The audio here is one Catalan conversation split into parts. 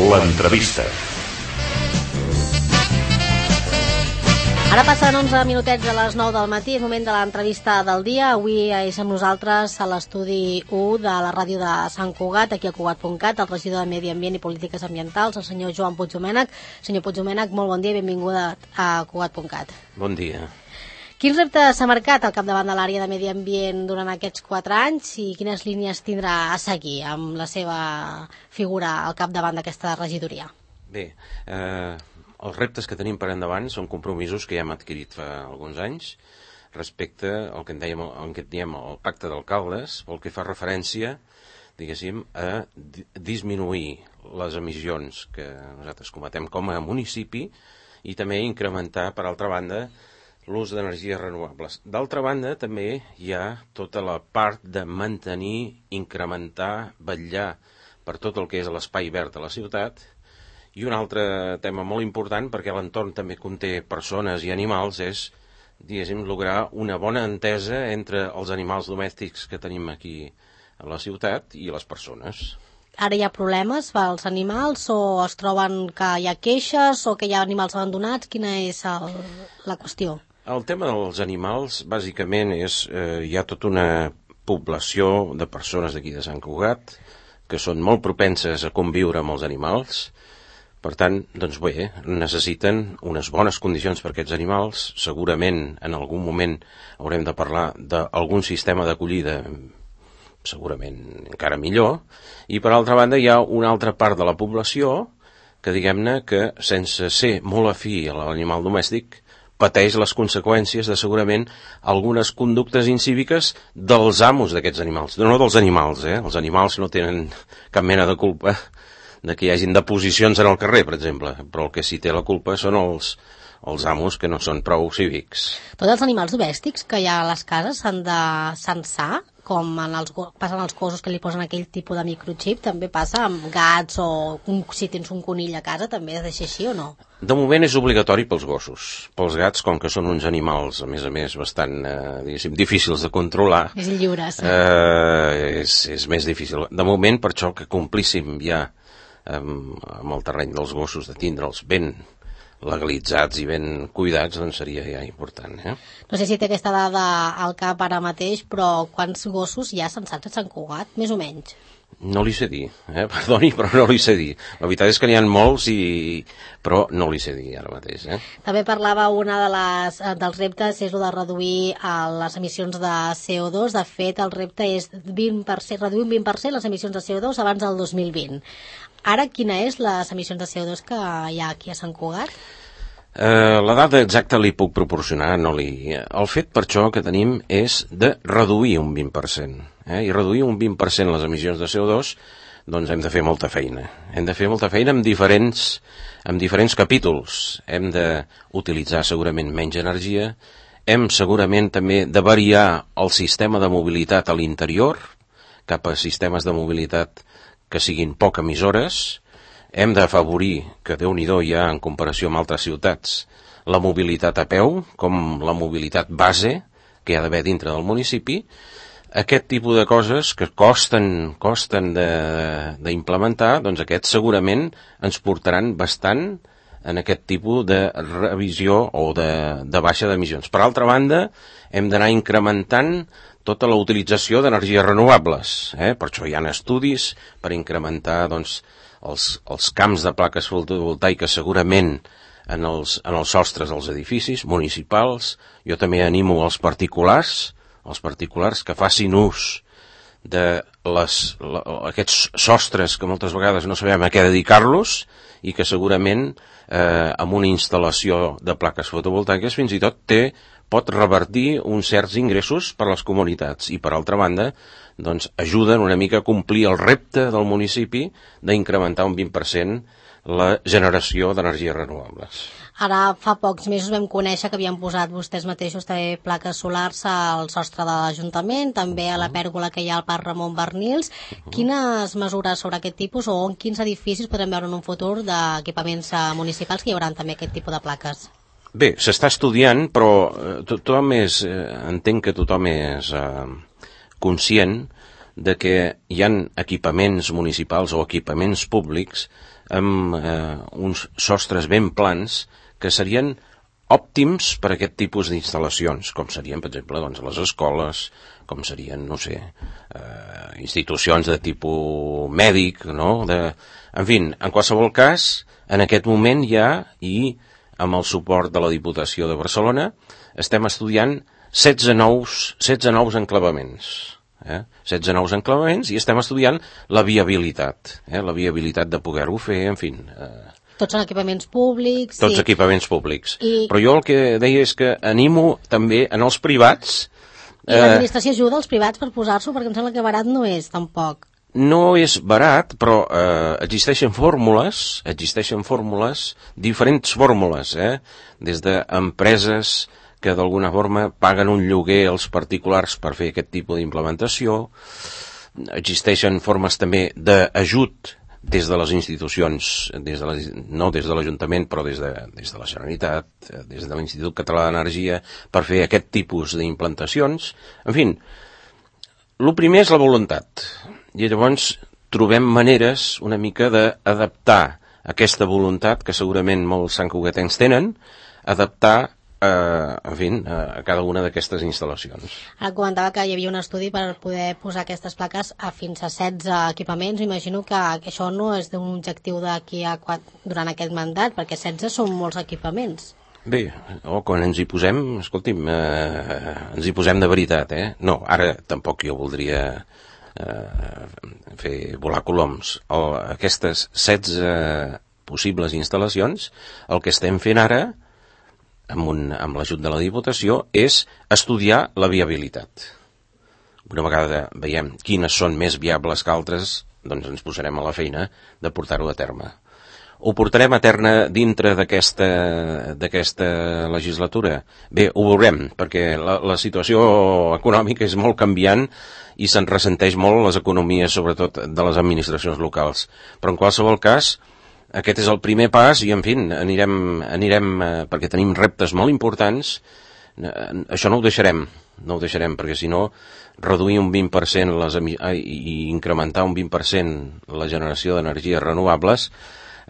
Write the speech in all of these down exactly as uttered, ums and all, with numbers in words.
L'entrevista. Ara passen onze minutets de les nou del matí, és moment de l'entrevista del dia. Avui és amb nosaltres a l'estudi u de la ràdio de Sant Cugat, aquí a Cugat punt cat, el regidor de Medi Ambient i Polítiques Ambientals, el senyor Joan Puigdomènech. Senyor Puigdomènech, molt bon dia i benvinguda a Cugat punt cat. Bon dia. Quins reptes s'ha marcat al capdavant de l'àrea de Medi Ambient durant aquests quatre anys i quines línies tindrà a seguir amb la seva figura al capdavant d'aquesta regidoria? Bé, eh, els reptes que tenim per endavant són compromisos que ja hem adquirit fa alguns anys respecte al que en dèiem, al que en diem el pacte d'alcaldes, pel que fa referència, diguéssim, a disminuir les emissions que nosaltres cometem com a municipi i també incrementar, per altra banda, l'ús d'energies renovables. D'altra banda, també hi ha tota la part de mantenir, incrementar, vetllar per tot el que és l'espai verd de la ciutat. I un altre tema molt important, perquè l'entorn també conté persones i animals, és, diguéssim, lograr una bona entesa entre els animals domèstics que tenim aquí a la ciutat i les persones. Ara hi ha problemes pels animals o es troben que hi ha queixes o que hi ha animals abandonats? Quina és el, la qüestió? El tema dels animals, bàsicament, és eh, hi ha tota una població de persones d'aquí de Sant Cugat que són molt propenses a conviure amb els animals. Per tant, doncs bé, necessiten unes bones condicions per aquests animals. Segurament, en algun moment, haurem de parlar d'algun sistema d'acollida segurament encara millor. I, per altra banda, hi ha una altra part de la població que, diguem-ne, que sense ser molt afí a l'animal domèstic, pateix les conseqüències de segurament algunes conductes incíviques dels amos d'aquests animals. No dels animals, eh? Els animals no tenen cap mena de culpa de que hi hagin deposicions en el carrer, per exemple, però el que sí té la culpa són els, els amos que no són prou cívics. Tots els animals domèstics que hi ha a les cases s'han de censar, com en els, passen els gossos que li posen aquell tipus de microchip, també passa amb gats o un, si tens un conill a casa també has de ser així o no? De moment és obligatori pels gossos. Pels gats, com que són uns animals, a més a més, bastant, eh, diguéssim, difícils de controlar, és lliures. Eh, és, és més difícil. De moment, per això que complíssim ja amb, amb el terreny dels gossos, de tindre'ls ben legalitzats i ben cuidats, doncs seria ja important, eh? No sé si té aquesta dada al cap ara mateix, però quants gossos hi ha censats a Sant Cugat, més o menys? No li sé dir, eh? Perdoni, però no li sé dir. La veritat és que n'hi ha molts, i... però no li sé dir ara mateix, eh? També parlava una de les, dels reptes és el de reduir les emissions de C O dos. De fet, el repte és vint per cent, reduir un vint per cent les emissions de C O dos abans del dos mil vint. Ara, quina és les emissions de C O dos que hi ha aquí a Sant Cugat? Eh, la dada exacta li puc proporcionar, no li... El fet per això que tenim és de reduir un vint per cent. Eh? I reduir un vint per cent les emissions de C O dos, doncs hem de fer molta feina. Hem de fer molta feina amb diferents, amb diferents capítols. Hem d'utilitzar segurament menys energia, hem segurament també de variar el sistema de mobilitat a l'interior, cap a sistemes de mobilitat que siguin poc emissores. Hem d'afavorir, que Déu-n'hi-do hi ha en comparació amb altres ciutats, la mobilitat a peu, com la mobilitat base que hi ha d'haver dintre del municipi. Aquest tipus de coses que costen, costen d'implementar, doncs aquests segurament ens portaran bastant en aquest tipus de revisió o de, de baixa d'emissions. Per altra banda, hem d'anar incrementant tota la utilització d'energies renovables. Eh? Per això hi ha estudis per incrementar, doncs, els, els camps de plaques fotovoltaiques segurament en els, en els sostres dels edificis municipals. Jo també animo els particulars, els particulars que facin ús de les, la, aquests sostres que moltes vegades no sabem a què dedicar-los i que segurament eh, amb una instal·lació de plaques fotovoltaiques fins i tot té, pot revertir uns certs ingressos per a les comunitats i, per altra banda, doncs, ajuden una mica a complir el repte del municipi d'incrementar un vint per cent la generació d'energies renovables. Ara fa pocs mesos vam conèixer que havien posat vostès mateixos també plaques solars al sostre de l'Ajuntament, també a la pèrgola que hi ha al Parc Ramon Barnils. Uh-huh. Quines mesures sobre aquest tipus o en quins edificis podrem veure en un futur d'equipaments municipals que hi haurà també aquest tipus de plaques? Bé, s'està estudiant, però tothom és, entenc que tothom és eh, conscient de que hi ha equipaments municipals o equipaments públics amb eh, uns sostres ben plans que serien òptims per a aquest tipus d'instal·lacions, com serien, per exemple, doncs, les escoles, com serien, no sé, eh, institucions de tipus mèdic, no? De... En fi, en qualsevol cas, en aquest moment ja, i amb el suport de la Diputació de Barcelona, estem estudiant setze nous, setze nous enclavaments. Eh? setze nous enclavaments i estem estudiant la viabilitat, eh? la viabilitat de poder-ho fer, en fi... Eh, Tots són equipaments públics. Tots sí. equipaments públics. I... Però jo el que deia és que animo també en els privats... I eh... l'administració ajuda els privats per posar-s'ho, perquè em sembla que barat no és, tampoc. No és barat, però eh, existeixen fórmules, existeixen fórmules, diferents fórmules, eh? Des d'empreses que d'alguna forma paguen un lloguer als particulars per fer aquest tipus d'implementació. Existeixen formes també d'ajut des de les institucions, des de la, no des de l'Ajuntament, però des de, des de la Generalitat, des de l'Institut Català d'Energia, per fer aquest tipus d'implantacions. En fi, el primer és la voluntat. I llavors trobem maneres una mica d'adaptar aquesta voluntat, que segurament molts santcugatencs tenen, adaptar Uh, en fi, uh, a cada una d'aquestes instal·lacions. Ara comentava que hi havia un estudi per poder posar aquestes plaques a fins a setze equipaments. Imagino que això no és d'un objectiu d'aquí a quatre, durant aquest mandat, perquè setze són molts equipaments. Bé, oh, quan ens hi posem, escolti'm, uh, ens hi posem de veritat, eh? No, ara tampoc jo voldria uh, fer volar coloms. O, aquestes setze possibles instal·lacions, el que estem fent ara amb, un, amb l'ajut de la Diputació, és estudiar la viabilitat. Una vegada veiem quines són més viables que altres, doncs ens posarem a la feina de portar-ho a terme. Ho portarem a terme dintre d'aquesta d'aquesta legislatura? Bé, ho veurem, perquè la, la situació econòmica és molt canviant i se'n ressenteix molt les economies, sobretot de les administracions locals. Però en qualsevol cas, aquest és el primer pas i, en fi, anirem, anirem eh, perquè tenim reptes molt importants. Eh, això no ho deixarem, no ho deixarem, perquè si no, reduir un vint per cent les emi- eh, i incrementar un vint per cent la generació d'energies renovables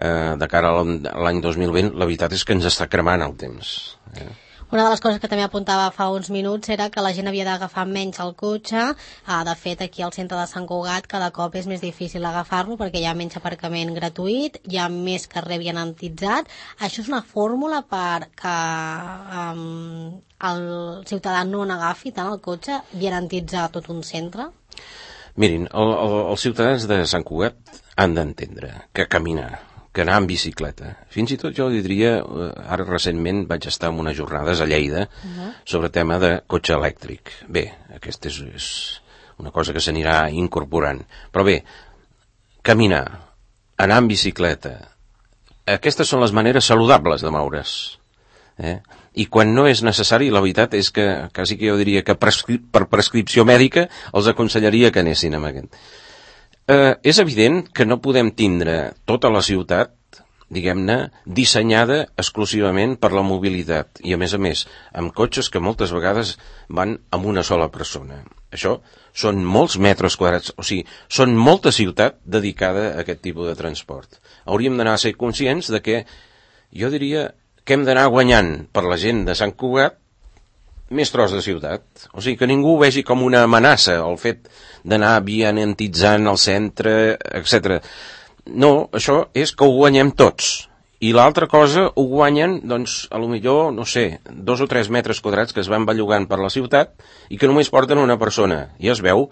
eh, de cara a l'any dos mil vint, la veritat és que ens està cremant el temps. Eh? Una de les coses que també apuntava fa uns minuts era que la gent havia d'agafar menys el cotxe. Ah, de fet, aquí al centre de Sant Cugat cada cop és més difícil agafar-lo perquè hi ha menys aparcament gratuït, hi ha més carrer vianantitzat. Això és una fórmula per que um, el ciutadà no n'agafi tant el cotxe, vianantitzar tot un centre? Mirin, el, el, els ciutadans de Sant Cugat han d'entendre que caminar, que anar en bicicleta. Fins i tot jo diria, ara recentment vaig estar en unes jornades a Lleida uh-huh. sobre tema de cotxe elèctric. Bé, aquesta és, és una cosa que s'anirà incorporant. Però bé, caminar, anar en bicicleta, aquestes són les maneres saludables de moure's. Eh? I quan no és necessari, la veritat és que quasi que jo diria que prescri- per prescripció mèdica els aconsellaria que anessin amb aquest. Eh, és evident que no podem tindre tota la ciutat, diguem-ne, dissenyada exclusivament per la mobilitat i, a més a més, amb cotxes que moltes vegades van amb una sola persona. Això són molts metres quadrats, o sigui, són molta ciutat dedicada a aquest tipus de transport. Hauríem d'anar a ser conscients de que, jo diria, que hem d'anar guanyant per la gent de Sant Cugat més tros de ciutat. O sigui, que ningú ho vegi com una amenaça, el fet d'anar vianantitzant el centre, etcètera. No, això és que ho guanyem tots. I l'altra cosa ho guanyen, doncs, a lo millor, no sé, dos o tres metres quadrats que es van bellugant per la ciutat i que només porten una persona. I es veu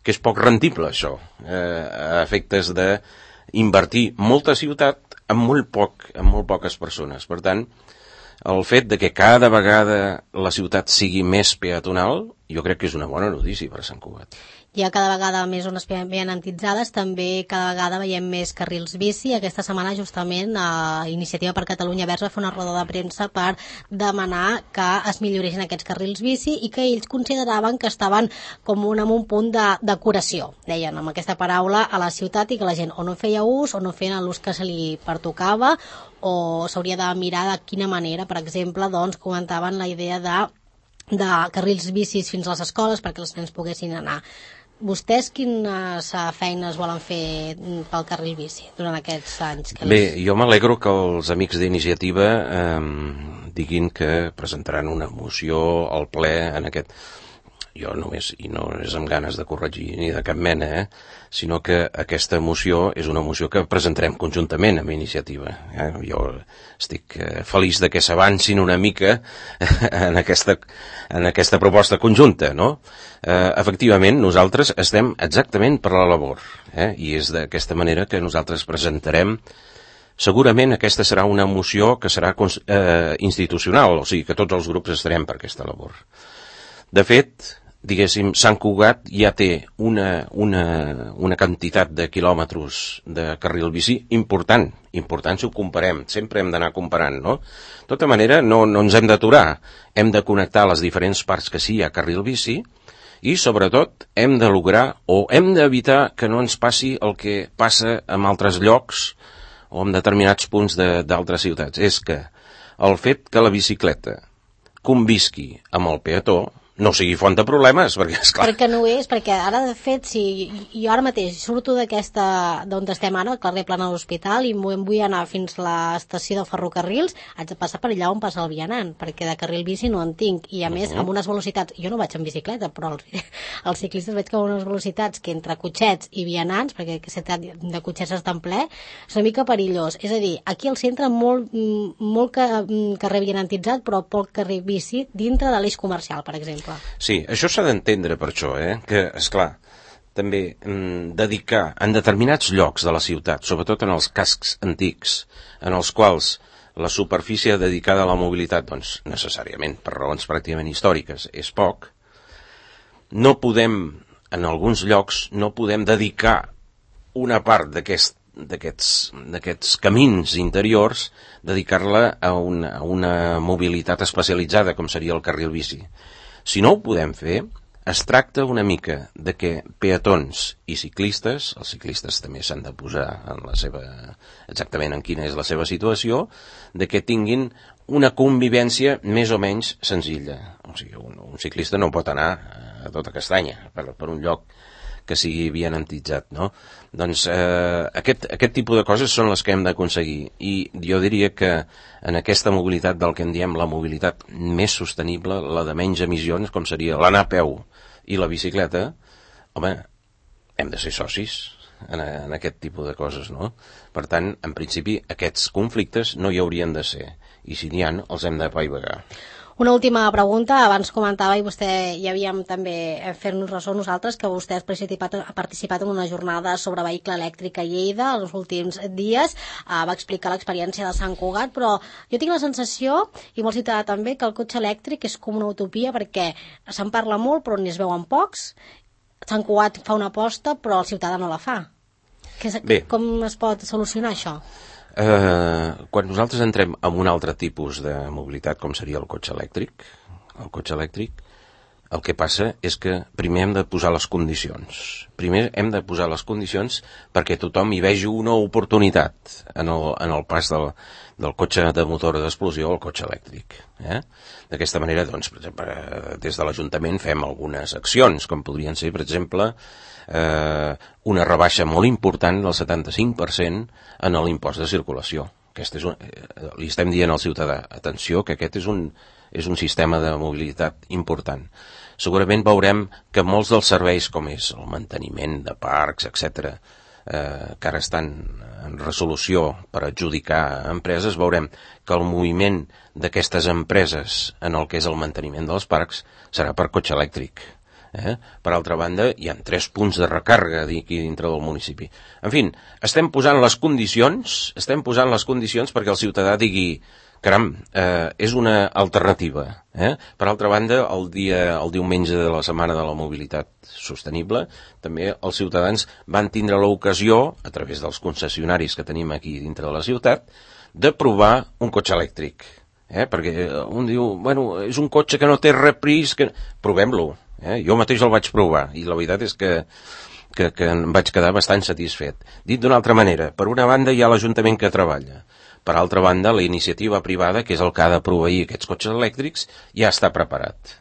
que és poc rendible, això, eh, a efectes d'invertir molta ciutat amb molt poc, amb molt poques persones. Per tant, el fet de que cada vegada la ciutat sigui més peatonal, jo crec que és una bona notícia per a Sant Cugat. Hi ha cada vegada més zones vianantitzades, també cada vegada veiem més carrils bici. Aquesta setmana justament a Iniciativa per Catalunya Verds va fer una roda de premsa per demanar que es milloressin aquests carrils bici i que ells consideraven que estaven com un, en un punt de decoració, deien amb aquesta paraula, a la ciutat, i que la gent o no feia ús o no feien l'ús que se li pertocava, o s'hauria de mirar de quina manera. Per exemple, doncs, comentaven la idea de de carrils bicis fins a les escoles perquè els nens poguessin anar vostès quines feines volen fer pel carril bici durant aquests anys? Que Bé, jo m'alegro que els amics d'Iniciativa eh, diguin que presentaran una moció al ple en aquest... Jo només, i no és amb ganes de corregir ni de cap mena, eh? sinó que aquesta moció és una moció que presentarem conjuntament amb Iniciativa. Eh? Jo estic eh, feliç de que s'avancin una mica en aquesta, en aquesta proposta conjunta, no? Eh, efectivament, nosaltres estem exactament per la labor, eh? i és d'aquesta manera que nosaltres presentarem. Segurament aquesta serà una moció que serà eh, institucional, o sigui que tots els grups estarem per aquesta labor. De fet, diguéssim, Sant Cugat ja té una, una, una quantitat de quilòmetres de carril bici important, important si ho comparem, sempre hem d'anar comparant, no? De tota manera, no, no ens hem d'aturar, hem de connectar les diferents parts que sí hi ha carril bici i, sobretot, hem de lograr o hem d'evitar que no ens passi el que passa en altres llocs o en determinats punts d'altres ciutats. És que el fet que la bicicleta convisqui amb el peató no sigui font de problemes, perquè és clar. Perquè no ho és, perquè ara de fet, si jo ara mateix surto d'aquesta, d'on estem ara, al carrer Plana de l'Hospital, i vull anar fins a l'estació de ferrocarrils, haig de passar per allà on passa el vianant, perquè de carril bici no en tinc, i a uh-huh. més amb unes velocitats, jo no vaig en bicicleta, però els, els ciclistes veig que amb unes velocitats que entre cotxets i vianants, perquè aquest de cotxets està en ple, és una mica perillós. És a dir, aquí al centre molt, molt carrer vianantitzat, però poc carrer bici dintre de l'eix comercial, per exemple. Sí, això s'ha d'entendre per això, eh? que, esclar, també mm, dedicar en determinats llocs de la ciutat, sobretot en els cascs antics, en els quals la superfície dedicada a la mobilitat, doncs, necessàriament, per raons pràcticament històriques, és poc, no podem, en alguns llocs, no podem dedicar una part d'aquest, d'aquests, d'aquests camins interiors, dedicar-la a una, a una mobilitat especialitzada, com seria el carril bici. Si no ho podem fer, es tracta una mica de que peatons i ciclistes, els ciclistes també s'han de posar en la seva, exactament en quina és la seva situació, de que tinguin una convivència més o menys senzilla. O sigui, un, un ciclista no pot anar a tota castanya per, per un lloc que sigui vianantitzat, no? Doncs eh, aquest, aquest tipus de coses són les que hem d'aconseguir, i jo diria que en aquesta mobilitat del que en diem la mobilitat més sostenible, la de menys emissions, com seria l'anar a peu i la bicicleta, home, hem de ser socis en, en aquest tipus de coses, no? Per tant, en principi, aquests conflictes no hi haurien de ser, i si n'hi ha, els hem de paivagar. Una última pregunta, abans comentava, i vostè hi havíem també fer-nos ressò nosaltres, que vostè ha participat, ha participat en una jornada sobre vehicle elèctric a Lleida els últims dies, uh, va explicar l'experiència de Sant Cugat, però jo tinc la sensació, i molt ciutadà també, que el cotxe elèctric és com una utopia, perquè se'n parla molt però n'hi es veuen pocs. Sant Cugat fa una aposta però el ciutadà no la fa. Que és, com es pot solucionar això? Uh, quan nosaltres entrem en un altre tipus de mobilitat, com seria el cotxe elèctric, el cotxe elèctric, el que passa és que primer hem de posar les condicions. Primer hem de posar les condicions perquè tothom hi vegi una oportunitat en el, en el pas del, del cotxe de motor d'explosió al cotxe elèctric. Eh? D'aquesta manera, doncs, per exemple, des de l'Ajuntament fem algunes accions, com podrien ser, per exemple, eh, una rebaixa molt important del setanta-cinc per cent en l'impost de circulació. Aquest és un, eh, li estem dient al ciutadà, atenció, que aquest és un, és un sistema de mobilitat important. Segurament veurem que molts dels serveis, com és el manteniment de parcs, etcètera, eh, que ara estan en resolució per adjudicar a empreses, veurem que el moviment d'aquestes empreses en el que és el manteniment dels parcs serà per cotxe elèctric. Eh? Per altra banda, hi ha tres punts de recàrrega aquí dintre del municipi. En fi, estem posant les condicions, estem posant les condicions perquè el ciutadà digui, caram, eh, és una alternativa. Eh? Per altra banda, el dia, el diumenge de la Setmana de la Mobilitat Sostenible, també els ciutadans van tindre l'ocasió, a través dels concessionaris que tenim aquí dintre de la ciutat, de provar un cotxe elèctric. Eh? Perquè un diu, bueno, és un cotxe que no té repris, que... provem-lo. Eh? Jo mateix el vaig provar i la veritat és que, que, que em vaig quedar bastant satisfet. Dit d'una altra manera, per una banda hi ha l'Ajuntament que treballa, per altra banda la iniciativa privada, que és el que ha de proveir aquests cotxes elèctrics, ja està preparat.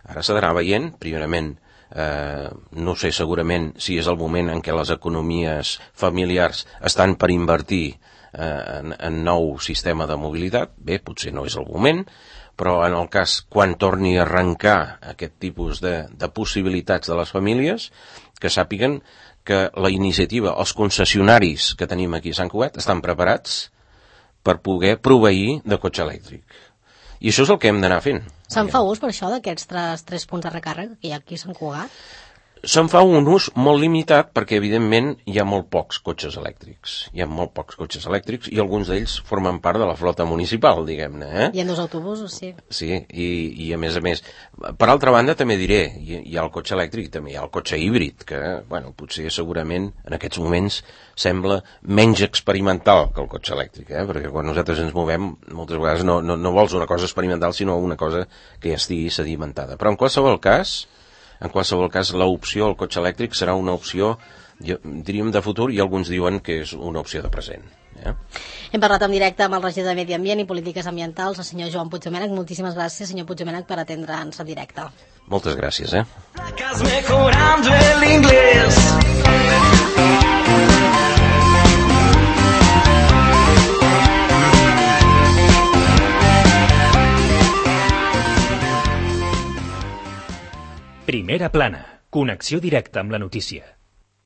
Ara s'ha d'anar veient, primerament, Eh, no sé segurament si és el moment en què les economies familiars estan per invertir eh, en, en nou sistema de mobilitat. Bé, potser no és el moment, però en el cas quan torni a arrencar aquest tipus de, de possibilitats de les famílies, que sàpiguen que la iniciativa, els concessionaris que tenim aquí a Sant Cugat estan preparats per poder proveir de cotxe elèctric. I això és el que hem d'anar fent. Se'n fa ús per això d'aquests tres, tres punts de recàrrega que hi ha aquí a Sant Cugat? Se'n fa un ús molt limitat perquè, evidentment, hi ha molt pocs cotxes elèctrics. Hi ha molt pocs cotxes elèctrics i alguns d'ells formen part de la flota municipal, diguem-ne. Eh? Hi ha dos autobusos, sí. Sí, i, i a més a més... Per altra banda, també diré, hi, hi ha el cotxe elèctric, també hi ha el cotxe híbrid, que, bueno, potser segurament en aquests moments sembla menys experimental que el cotxe elèctric, eh? Perquè quan nosaltres ens movem, moltes vegades no, no, no vols una cosa experimental, sinó una cosa que ja estigui sedimentada. Però en qualsevol cas... En qualsevol cas, l'opció al cotxe elèctric serà una opció, diríem, de futur, i alguns diuen que és una opció de present. Eh? Hem parlat en directe amb el regidor de Medi Ambient i Polítiques Ambientals, el senyor Joan Puigdomènech. Moltíssimes gràcies, senyor Puigdomènech, per atendre'ns en directe. Moltes gràcies, eh? Primera plana. Connexió directa amb la notícia.